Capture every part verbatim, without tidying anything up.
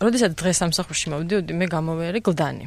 როდესაც დღეს სამსახურში მოვიდიოდი, მე გამოვიარე გლდანი.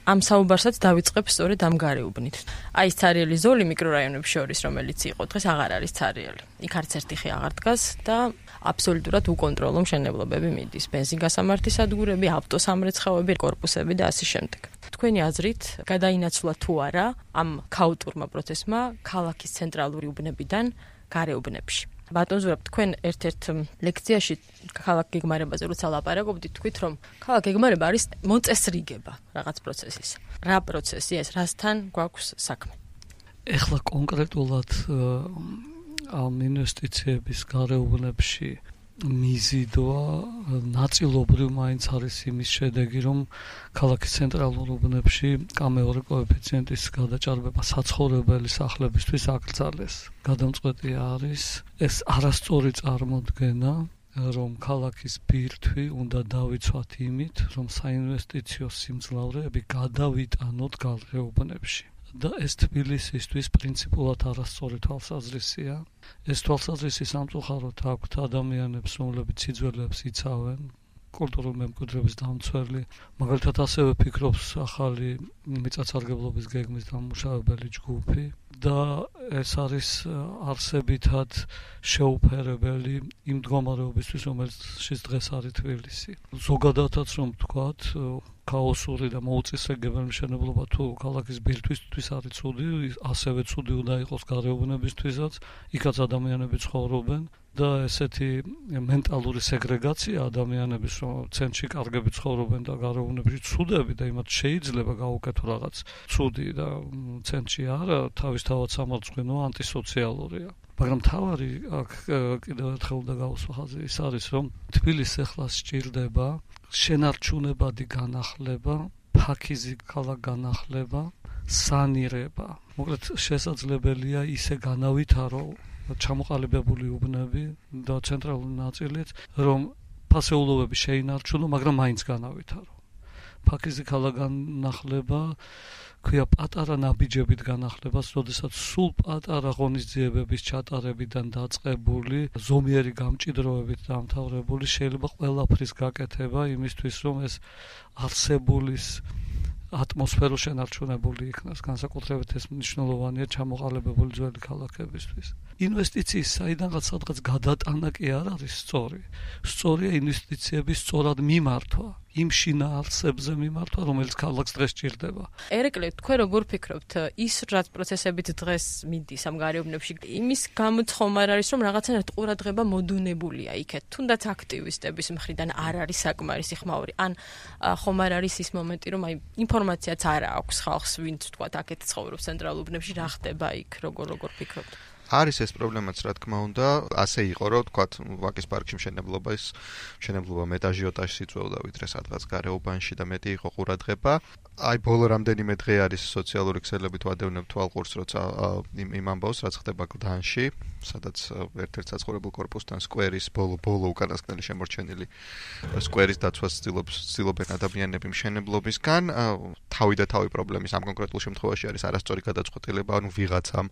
ამ საუბარსაც დავიწყებ სწორედ ამ გარეუბნით. აი ეს ცარიელი ზოლი მიკრორაიონების შორის, რომელიც იყო, დღეს აღარ არის ცარიელი. იქ არც ერთი ხე აღარ დგას და აბსოლუტურად უკონტროლო მშენებლობები მიდის. ბენზინგასამართი სადგურები, ავტოსამრეცხაოები, კორპუსები და ასე შემდეგ. თქვენი აზრით, გადაინაცვლა თუ არა ამ ქაოტურმა პროცესმა ქალაქის ცენტრალური უბნებიდან გარეუბნებში? ბატონ ზურაბ, თქვენ ერთ-ერთ ლექციაში ქალაქ გეგმარებაზე როცა ლაპარაკობდით, თქვით, რომ ქალაქ გეგმარება არის მოწესრიგება რაღაც პროცესის. რა პროცესი ეს, რასთან გვაქვს საქმე? ეხლა კონკრეტულად ამ ინვესტიციების გარეუბნებში მიზიდვა ნაწილობრივ მაინც არის იმის შედეგი, რომ ქალაქის ცენტრალურ უბნებში კამეორი კოეფიციენტის გადაჭარბება საცხოვრებელი სახლებისთვის აკრძალეს. გადამწყვეტი არის ეს არასწორი წარმოდგენა, რომ ქალაქის ბირთვი უნდა დავიცვათ იმით, რომ საინვესტიციო სიმძლავრეები გადავიტანოთ გარეუბნებში. და ეს თბილისისთვის პრინციპულად არასწორი თვალსაზრისია. ეს თვალსაზრისი სამწუხაროდ აქვთ ადამიანებს, რომლებიც სიძველეებს იცავენ, კულტურული მემკვიდრეობის დამცველი, მაგალითად ასევე ფიქრობს ახალი მიწათსარგებლობის გეგმის დამმუშავებელი ჯგუფი და ეს არის არსებითად შეუფერებელი იმ მდგომარეობისთვის, რომელშიც დღეს არის თბილისი. ზოგადადაც რომ ვთქვათ, ქაოსური და მოუწესრიგებელი მშენებლობა თუ ქალაქის ბირთვისთვის არის ცუდი, ასევე ცუდი უნდა იყოს გარეუბნებისთვისაც, იქაც ადამიანები ცხოვრობენ და ესეთი მენტალური სეგრეგაცია ადამიანების, რომ ცენტრში კარგები ცხოვრობენ და გარეუბნებში ცუდები და იმათ შეიძლება გაუკეთო რაღაც ცუდი და ცენტრში არა, თავისთავად სამარცხვინო ანტისოციალურია. მაგრამ თავარი აქ კიდევ ერთხელ უნდა გავუსვა ხაზი, ის არის, რომ თბილისს ახლა სჭირდება შენარჩუნებადი განახლება, ფაქიზი ქალაქ განახლება, სანირება. მოკლედ შესაძლებელია ისე განავითარო ჩამოყალიბებული უბნები და ცენტრალური ნაწილიც, რომ ფასეულობები შეინარჩუნო, მაგრამ მაინც განავითარო. ფაქიზი ქალაქ განახლება ქვია პატარა ნაბიჯებით განახლებას, როდესაც სულ პატარა ღონისძიებების ჩატარებიდან დაწყებული, ზომიერი გამჭიდროებით დამთავრებული შეიძლება ყველაფრის გაკეთება იმისთვის, რომ ეს არსებულის ატმოსფერო შენარჩუნებული იქნას, განსაკუთრებით ეს მნიშვნელოვანია ჩამოყალიბებული ძველი ქალაქებისთვის. ინვესტიციის საიდანღაც სადღაც გადატანა კი არ არის სწორი. სწორია ინვესტიციების სწორად მიმართვა, იმ შინაარსებზე მიმართვა, რომელიც ქალაქს დღეს სჭირდება. ერეკლე, თქვენ როგორ ფიქრობთ, ის რაც პროცესებით დღეს მიდის ამ გარეუბნებში, იმის გამოცხომ არ არის, რომ რაღაცნაირად ყურადღება მოდუნებულია იქეთ, თუნდაც აქტივისტების მხრიდან არ არის საკმარისი ხმაური, ან ხომ არ არის ის მომენტი, რომ აი ინფორმაციაც არ აქვს ხალხს, ვინც თქვა აქეთ ცხოვრობს ცენტრალურ უბნებში, რა ხდება იქ, როგორ როგორ ფიქრობთ? არის ეს პრობლემაც, რა თქმა უნდა, ასე იყო, რომ თქვათ, ვაკის პარკში მშენებლობა ის მშენებლობა მეტ აჟიოტაჟს იწვევდა, ვიდრე სადღაც გარეუბანში და მეტი იყო ყურადღება. აი ბოლო რამდენიმე დღე არის სოციალური ქსელებით ვადევნებ თვალყურს, როცა იმ იმ ამბავს, რაც ხდება გლდანში, სადაც ერთ-ერთ საცხოვრებელ კორპუსთან სკვერის ბოლო ბოლო უკანასკნელი შემორჩენილი სკვერის დაცვას ცდილობენ ადამიანები მშენებლობისგან. თავი და თავი პრობლემის ამ კონკრეტულ შემთხვევაში არის არასწორი გადაწყვეტილება, ანუ ვიღაცამ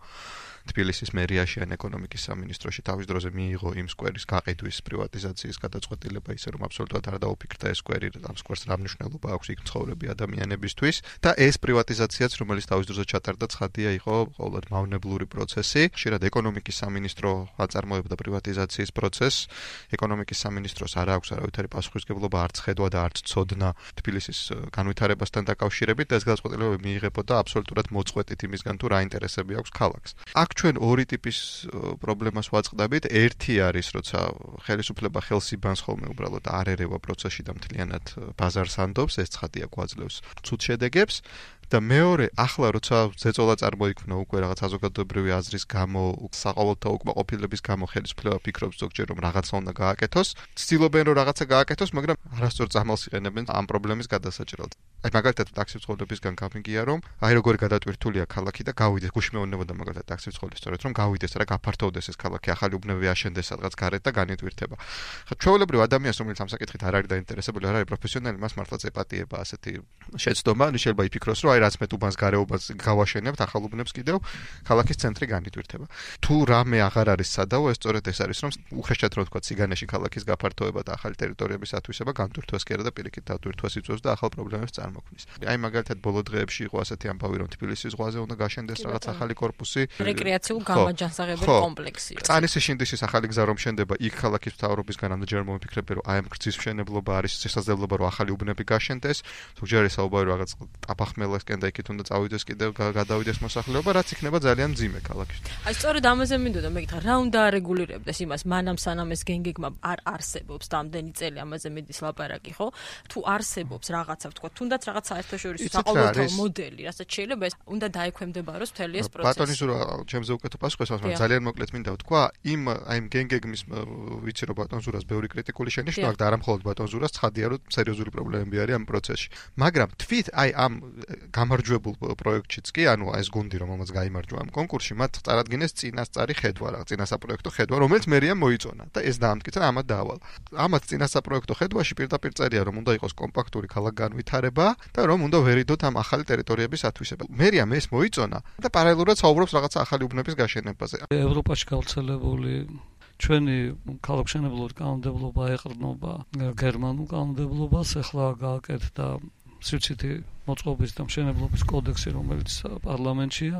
თბილისის მერიაში ან ეკონომიკის სამინისტროში თავის დროზე მიიღო იმ სკვერის გაყიდვის პრივატიზაციის გადაწყვეტილება, ისე რომ აბსოლუტურად არ დაუფიქრდა ეს სკვერი, ამ სკვერს რა მნიშვნელობა აქვს იქ მცხოვრები ადამიანებისთვის და ეს პრივატიზაციაც, რომელიც თავის დროზე ჩატარდა, ცხადია იყო ყოველად მავნებლური პროცესი. ხშირად ეკონომიკის სამინისტრო აწარმოებდა პრივატიზაციის პროცესს. ეკონომიკის სამინისტროს არ აქვს არავითარი პასუხისმგებლობა არც ხედვა და არც ცოდნა თბილისის განვითარებასთან დაკავშირებით და ეს გადაწყვეტილება მიიღებოდა აბსოლუტურად მოწყვეტით იმისგან თუ რა ინტერესები აქვს ქალაქს. ჩვენ ორი ტიპის პრობლემას ვაწყდებით. ერთი არის, როცა ხელისუფლება ხელს იბანს ხოლმე უბრალოდ არ ერევა პროცესში და მთლიანად ბაზარს ანდობს, ეს ცხადია გვაძლევს ცუდ შედეგებს. და მეორე, ახლა როცა ზეწოლა წარმოიქმნა უკვე რაღაც საზოგადოებრივი აზრის გამო, საყოველთაო უკმაყოფილების გამო ხელისუფლება ფიქრობს ზოგჯერ რომ რაღაცა უნდა გააკეთოს, ცდილობენ რომ რაღაცა გააკეთოს, მაგრამ არასწორ წამალს იყენებენ ამ პრობლემის გადასაჭრელად. აი მაგალითად ტაქსი ტაქსივწყობლებისგან გამიგია, რომ აი როგორი გადატვირთულია ქალაქი და გავიდეს, გუშინ მეუბნებოდა მაგალითად ტაქსივწყობლის სწორედ, რომ გავიდეს რა გაფართოვდეს ეს ქალაქი, ახალი უბნები აშენდეს სადღაც გარეთ და განიტვირთება. ხა ჩვეულებრივ ადამიანს, რომელიც ამ საკითხით არ არის დაინტერესებული, არ არის პროფესიონალი, მას მართლაც ეპატიება ასეთი შეცდომა, ნუ შეიძლება იფიქროს, რომ აი რაც მე უბანს გარეობას გავაშენებთ, ახალ უბნებს კიდევ ქალაქის ცენტრი განიტვირთება. თუ რამე აღარ არის სადაო, ეს სწორედ ეს არის, რომ უხრეშად რო ვთქვა, ციგანეში ქალაქის გაფართოება და ახალი ტერიტორიების ათვისება განტვირთვას კი არა და პირიქით დატვირთვას იწვევს და ახალ პრობლემებს წარმოქმნის. აი მაგალითად ბოლო დღეებში იყო ასეთი ამბავი, რომ თბილისის ზღვაზე უნდა გაშენდეს რაღაც ახალი კორპუსი, რეკრეაციულ გამაჯანსაღებელ კომპლექსი. წანისი შინდისის ახალი გზა რომ შენდება, იქ ქალაქის მთავრობისგან ამდენჯერ მომიფიქრები, რომ აი ამ გზის მშენებლობა არის შესაძლებლობა, რომ ახალი უბნები გაშენდეს, ზოგჯერ არის საუბარი რაღაც ტაფახმელასკენ და იქით უნდა წავიდეს კიდევ გადავიდეს მოსახლეობა, რაც იქნება ძალიან მძიმე ქალაქის. აი სწორედ ამაზე მინდოდა მეკითხა, რა უნდა არეგულირებდეს იმას, მანამ სანამ ეს გენგეგმა არ არსებობს და ამდენი წელი ამაზე მიდის ლაპარაკი, ხო? თუ არსებობს რაღაცა, ვთქვა, თუნდაც რაღაც საერთაშორისო საყოველთაო მოდელი, რასაც შეიძლება ეს უნდა დაექვემდებაროს მთელი ეს პროცესი. ბატონი ზურა, ჩემზე უკეთო პასუხი ასმას, მაგრამ ძალიან მოკლედ მინდა ვთქვა, იმ აი იმ გენგეგმის ვიცი რომ ბატონ ზურას ბევრი კრიტიკული შენიშვნა აქვს და არა მხოლოდ ბატონ ზურას, ცხადია რომ სერიოზული პრობლემები არის ამ პროცესში. მაგრამ თვით აი ამ გამარჯვებულ პროექტშიც კი, ანუ ეს გუნდი რომელმაც გაიმარჯვა ამ კონკურსში, მათ წარადგინეს წინასწარი ხედვა, რა წინასაპროექტო ხედვა, რომელიც მერია მოიწონა და ეს დაამტკიცა ამათ დაავალ. ამათ წინასაპროექტო ხედვაში პირდაპირ წერია რომ უნდა იყოს კომპაქტური ქალაქგანვითარება და რომ უნდა ვერიდოთ ამ ახალი ტერიტორიების ათვისება. მერიამ ეს მოიწონა და პარალელურად საუბრობს რაღაცა ახალი უბნების გაშენებაზე. ევროპაში გავრცელებული ჩვენი ქალაქშენებლური კანონმდებლობა ეყრდნობა გერმანულ კანონმდებლობას, ახლა გააკეთდა სივრცითი მოწყობის და მშენებლობის კოდექსი, რომელიც პარლამენტშია,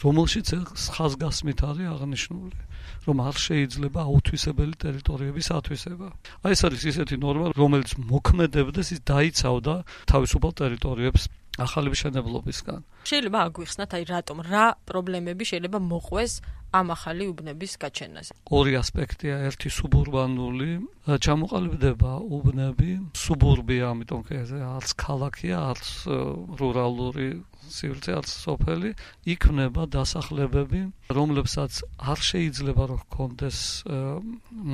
რომელშიც ხაზგასმით არის აღნიშნული, რომ არ შეიძლება აუთვისებელი ტერიტორიების ათვისება. აი ეს არის ისეთი ნორმა, რომელიც მოქმედებდეს, ის დაიცავდა თავისუფალ ტერიტორიებს ახალი მშენებლობისგან. შეიძლება აგვიხსნათ, აი რატომ, რა პრობლემები შეიძლება მოყვეს ამ ახალი უბნების გაჩენაზე. ორი ასპექტია, ერთი სუბურბანული, ჩამოყალიბდება უბნები, სუბურბია, ამიტომ კი ეს არც ქალაქია, არც რურალური სივრცე, არც სოფელი, იქმნება დასახლებები, რომლებსაც არ შეიძლება რომ ჰქონდეს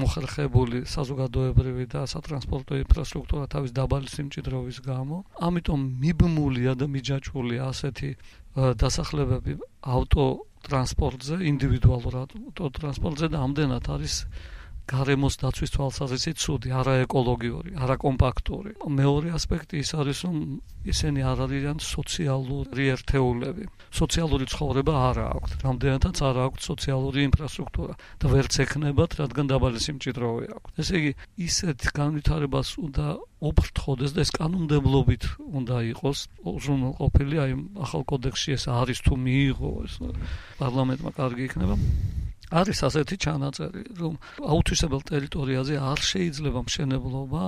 მოხერხებული საზოგადოებრივი და სატრანსპორტო ინფრასტრუქტურა თავის დაბალი სიმჭიდროვის გამო. ამიტომ მიბმულია და მიჯაჭვულია ასეთი დასახლებები ავტო ტრანსპორტზე, ინდივიდუალურ ავტოტრანსპორტზე და ამდენად არის გარემოს დაცვის თვალსაზრისით ცუდი, არაეკოლოგიური, არაკომპაქტური. მეორე ასპექტი ის არის, რომ ისინი არ არიან სოციალური ერთეულები. სოციალური ცხოვრება არ აქვს, რამდენადაც არ აქვს სოციალური ინფრასტრუქტურა და ვერც ექნებათ, რადგან დაბალი სიმჭიდროვე აქვს. ესე იგი, ისეთ განვითარებას უნდა ოფრთხოდეს და ეს კანონმდებლობით უნდა იყოს უზრუნველყოფილი, აი ახალ კოდექსში ეს არის თუ მიიღო, ეს პარლამენტმა კარგი იქნება. არის ასეთი ჩანაწერი, რომ აუთვისებელ ტერიტორიაზე არ შეიძლება მშენებლობა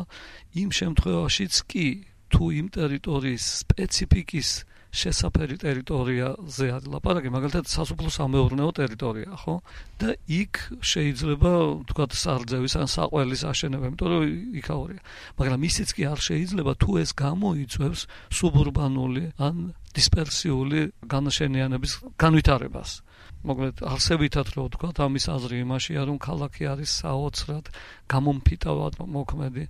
იმ შემთხვევაშიც კი, თუ იმ ტერიტორიის სპეციფიკის შესაფერი ტერიტორიაზე არის ლაპარაკი, მაგალითად სასოფლო-სამეურნეო ტერიტორია, ხო? და იქ შეიძლება თქვათ სარძევის ან საყველის აშენება, იმიტომ რომ იქაურია. მაგრამ ისიც კი არ შეიძლება, თუ ეს გამოიწვევს სუბურბანული ან დისპერსიული განაშენიანების განვითარებას. მოკლედ არსებითად რო ვთქვათ, ამის აზრი იმაშია, რომ ქალაქი არის საოცრად გამომფიტავად მოქმედი,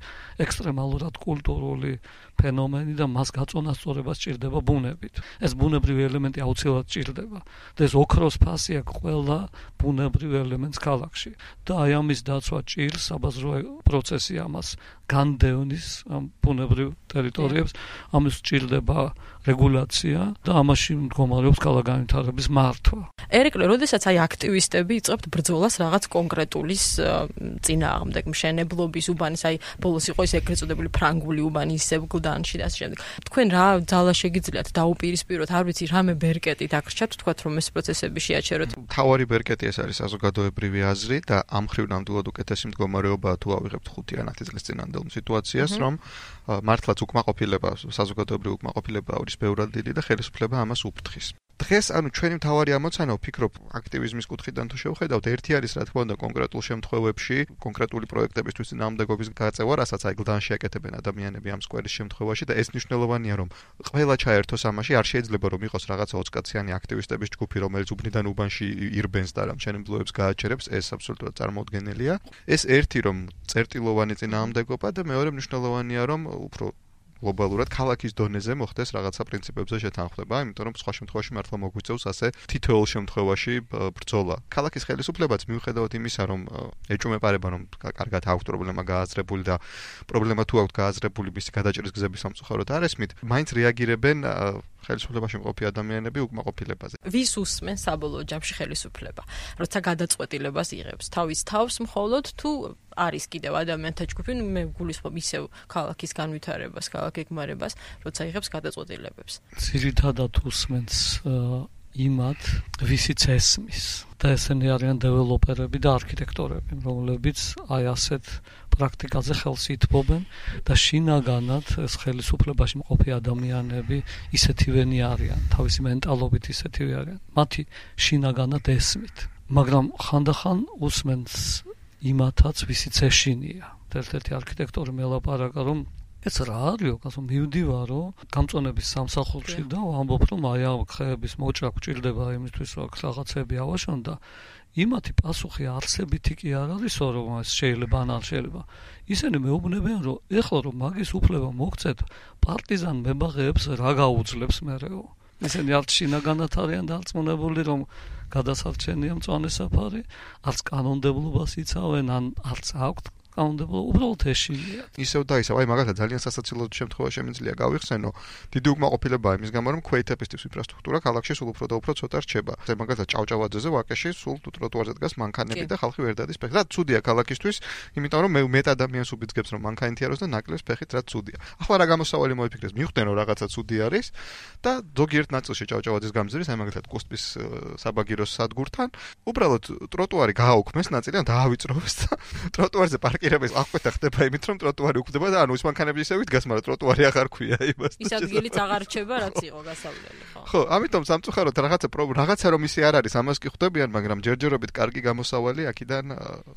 ექსტრემალურად კულტურული ფენომენი და მას გაწონასწორება სჭირდება ბუნებით. ეს ბუნებრივი ელემენტი აუცილებლად სჭირდება. და ეს ოქროს ფასი აქვს ყველა ბუნებრივ ელემენტს ქალაქში. და აი ამის დაცვა ჭირს საბაზრო პროცესი ამას განდევნის ამ ბუნებრივ ტერიტორიებს, ამის სჭირდება რეგულაცია და ამაში მდგომარეობს ქალაქგანვითარების მართვა. ერეკლე, როდესაც აი აქტივისტები იწყებთ ბრძოლას რაღაც კონკრეტულის წინააღმდეგ, მშენებლობის უბანის, აი ბოლოს იყო ეს ეგრეთ წოდებული ფრანგული უბანი ისევ გლდანში და ასე შემდეგ. თქვენ რა ძალა შეგიძლიათ დაუპირისპიროთ, არ ვიცი, რამე ბერკეტი დაგრჩათ, თქვათ რომ ეს პროცესები შეაჩეროთ. თავარი ბერკეტი ეს არის საზოგადოებრივი აზრი და ამ მხრივ ნამდვილად უკეთესი მდგომარეობაა თუ ავიღებთ ხუთი ან ათი წლის წინანდელ სიტუაციას, რომ მართლაც უკმაყოფილება, საზოგადოებრივი უკმაყოფილება არის ბევრად დიდი და ხელისუფლება ამას უფრთხის. დღეს ანუ ჩვენი მთავარი ამოცანა ვფიქრობ აქტივიზმის კუთხიდან თუ შევხედავთ, ერთი არის რა თქმა უნდა კონკრეტულ შემთხვევებში, კონკრეტული პროექტებისთვის წინააღმდეგობის გაწევა, რასაც აი გლდანში აკეთებენ ადამიანები ამ სკვერის შემთხვევაში და ეს მნიშვნელოვანია, რომ ყველა ჩაერთოს ამაში, არ შეიძლება რომ იყოს რაღაცა ოცკაციანი აქტივისტების ჯგუფი, რომელიც უბნიდან უბანში ირბენს და რა მშენებლობებს გააჩერებს, ეს აბსოლუტურად წარმოუდგენელია. ეს ერთი რომ წერტილოვანი წინააღმდეგობა და მეორე მნიშვნელოვანია რომ უფრო გლობალურად ქალაქის დონეზე მოხდეს რაღაცა პრინციპებზე შეთანხმება, იმიტომ რომ სხვა შემთხვევაში მართლა მოგვიწევს ასე თითოეულ შემთხვევაში ბრძოლა. ქალაქის ხელისუფლებაც მიუხედავად იმისა, რომ ეჭვმეპარება, რომ კარგად აქვს პრობლემა გააზრებული და პრობლემა თუ აქვს გააზრებული მისი გადაჭრის გზების სამწუხაროდ არ ესმით, მაინც რეაგირებენ ხელისუფლებაში მყოფი ადამიანები უკმაყოფილებაზე. ვის უსმენ საბოლოო ჯამში ხელისუფლება? როცა გადაწყვეტილებას იღებს თავის თავს მხოლოდ თუ არის კიდევ ადამიანთა ჯგუფი, მე გულისხმობ ისევ ქალაქის განვითარებას, ქალაქის გეგმარებას, როცა იღებს გადაწყვეტილებებს. ძირითადად უსმენს იმათ, ვისიც ესმის. და ესენი არიან დეველოპერები და არქიტექტორები, რომლებიც აი ასეთ პრაქტიკაზე ხელს ითბობენ და შინაგანად ეს ხელისუფლებაში მყოფი ადამიანები ისეთივენი არიან, თავისი მენტალობით ისეთივე არიან. მათი შინაგანად ესმით, მაგრამ ხანდახან უსმენს იმათაც, ვისიც ეშინია. ერთ-ერთი არქიტექტორი მელაპარაკა, რომ ეს რა არისო, გასო მივდივარო გამწონების სამსახურში და ვამბობ, რომ აი ამ ხეების მოჭრა გვჭირდება იმისთვის, რომ რაღაცები ავაშონ და იმათი პასუხი არსებითი კი არ არისო, რომ ეს შეიძლება ან არ შეიძლება. ისინი მეუბნებიან, რომ ეხლა რომ მაგის უფლება მოგცეთ, პარტიზან მებაღეებს რა გაუძლებს მერეო. ისინი არც შინაგანად არიან დარწმუნებული, რომ გადასარჩენია მწვანე საფარი, არც კანონმდებლობას იცავენ, ან არც აქვთ კანონმდებლობა, უბრალოდ ეშინია. ისევ და ისევ, აი მაგალითად ძალიან სასაცილო შემთხვევა შემიძლია გავიხსენო, დიდი უკმაყოფილებაა იმის გამო, რომ ქვეითებისთვის ინფრასტრუქტურა ქალაქში სულ უფრო და უფრო ცოტა რჩება. ეს მაგალითად ჭავჭავაძეზე ვაკეში სულ ტროტუარზე დგას მანქანები და ხალხი ვერ დადის ფეხით. რა ცუდია ქალაქისთვის, იმიტომ რომ მე მეტ ადამიანს უბიძგებს რომ მანქანით იაროს და ნაკლებს ფეხით, რა ცუდია. ახლა რა გამოსავალი მოიფიქრეს, მივხვდნენ რომ რაღაცა ცუდი არის და ზოგიერთ ნაწილში ჭავჭავაძეს გამზირის, აი მაგალითად კუსტის საბაგიროს სადგურთან, უბრალოდ ტროტუარი გააუქმეს ნაწილი და დაავიწროვეს და ტროტუარზე პარკირების აღკვეთა ხდება იმით, რომ ტროტუარი უხდება და ანუ ის მანქანები ისევ იდგას, მაგრამ ტროტუარი აღარ ქვია იმას. ის ადგილიც აღარ რჩება, რაც იყო გასავლელი, ხო? ხო, ამიტომ სამწუხაროდ რაღაცა რაღაცა რომ ისი არ არის, ამას კი ხვდებიან, მაგრამ ჯერჯერობით კარგი გამოსავალი აქედან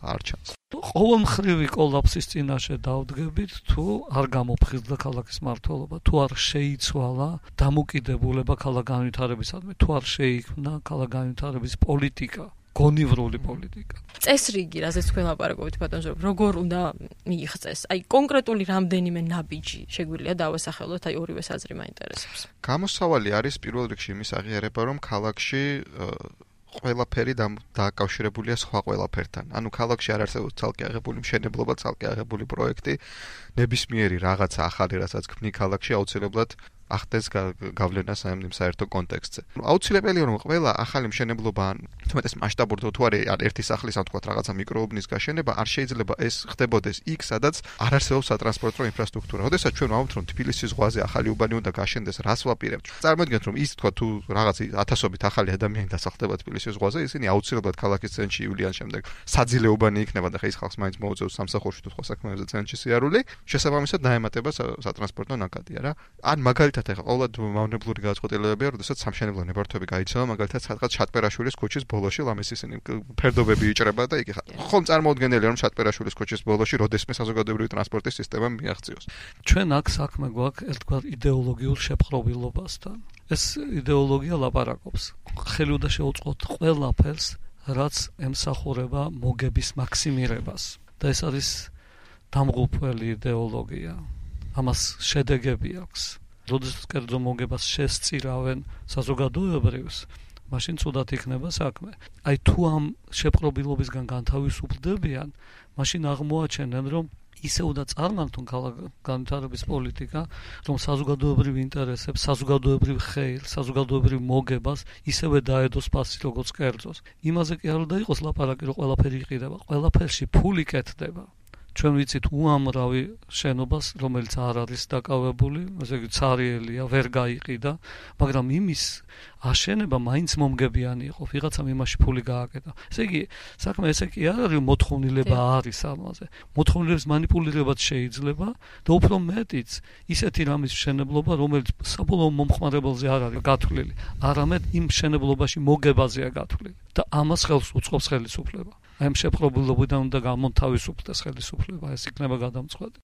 არ ჩანს. ყოველმხრივი კოლაფსის წინაშე დავდგებით, თუ არ გამოფხიზდა ქალაქის მმართველობა, თუ არ შეიცვალა დამოკიდებულება ქალაქ განვითარებისადმი, თუ არ შეიქმნა ქალაქ განვითარების პოლიტიკა. გონივრული პოლიტიკა. წესრიგი, რაზეც თქვენ ლაპარაკობთ ბატონო, როგორ უნდა მიიღწეს? აი კონკრეტული რამდენიმე ნაბიჯი შეგვიძლია დავასახელოთ, აი ორივე საზრი მაინტერესებს. გამოსავალი არის პირველ რიგში იმის აღიარება, რომ ქალაქში ყველაფერი დააკავშირებულია სხვა ყველაფერთან. ანუ ქალაქში არ არსებობს ცალკე აღებული მშენებლობა, ცალკე აღებული პროექტი, ნებისმიერი რაღაცა ახალი, რასაც ქმნი ქალაქში აუცილებლად ახდენს გავლენას ამ საერთო კონტექსტზე. აუცილებელია რომ ყველა ახალი მშენებლობა ან თუმცა მასშტაბური თუ არის ერთი სახლის ან თქვა რაღაცა მიკროუბნის გაშენება არ შეიძლება ეს ხდებოდეს იქ, სადაც არ არსებობს სატრანსპორტო ინფრასტრუქტურა. როდესაც ჩვენ ვამბობთ რომ თბილისის ზღვაზე ახალი უბანი უნდა გაშენდეს, რას ვაპირებთ? წარმოიდგინეთ რომ ის თქვა თუ რაღაც ათასობით ახალი ადამიანი დასახლდება თბილისის ზღვაზე, ისინი აუცილებლად ქალაქის ცენტრში ივლიან შემდეგ საძილე უბანი იქნება და ხე ის ხალხს მაინც მოუწევს სამსახურში თუ სხვა საქმეებზე ცენტრში სიარული. შესაბამისად დაემატება სატრანსპორტო ნაკადია რა. ან მაგალითად ეხლა ყოველად მავნებლური გადაწყვეტილებებია, როდესაც სამშენებლო ნებართვები გაიცემა, მაგალითად სადღაც შატპერაშვილის ქუჩის ბოლოში ლამის ისინი ფერდობები იჭრება და იქ ხომ წარმოუდგენელია რომ შატპერაშვილის ქუჩის ბოლოში როდესმე საზოგადოებრივი ტრანსპორტის სისტემა მიაღწიოს. ჩვენ აქ საქმე გვაქვს ერთგვარ იდეოლოგიურ შეპყრობილობასთან. ეს იდეოლოგია ლაპარაკობს. ხელი უნდა შეუწყოთ ყველაფერს, რაც ემსახურება მოგების მაქსიმირებას. და ეს არის დამღუპველი იდეოლოგია. ამას შედეგები აქვს. როდესაც კერძო მოგებას შესწირავენ საზოგადოებრივს, მაშინ ცუდად იქნება საქმე. აი თუ ამ შეპყრობილობისგან განთავისუფლდებიან, მაშინ აღმოაჩენენ, რომ ისე უნდა წარმართონ განვითარების პოლიტიკა, რომ საზოგადოებრივ ინტერესებს, საზოგადოებრივ ხეილს, საზოგადოებრივ მოგებას ისევე დაედოს ფასი, როგორც კერძოს. იმაზე კი არ უნდა იყოს ლაპარაკი, რომ ყველაფერი იყიდება, ყველაფერში ფული კეთდება. ჩვენ ვიცით უამრავი შენობას, რომელიც არ არის დაკავებული, ესე იგი ცარიელია, ვერ გაიყიდა, მაგრამ იმის აშენება მაინც მომგებიანი იყო, ვიღაცამ იმაში ფული გააკეთა. ესე იგი, საქმე ესე კი არ არის, მოთხოვნილება არის ამაზე. მოთხოვნილების მანიპულირებაც შეიძლება და უფრო მეტიც ისეთი რამის მშენებლობა, რომელიც საბოლოო მომხმარებელზე არ არის გათვლილი, არამედ იმ მშენებლობაში მოგებაზეა გათვლილი და ამას ხელს უწყობს ხელისუფლება. აი ამ შეპყრობილობიდან უნდა გამოთავისუფლდეს ხელისუფლება, ეს იქნება გადამწყვეტი.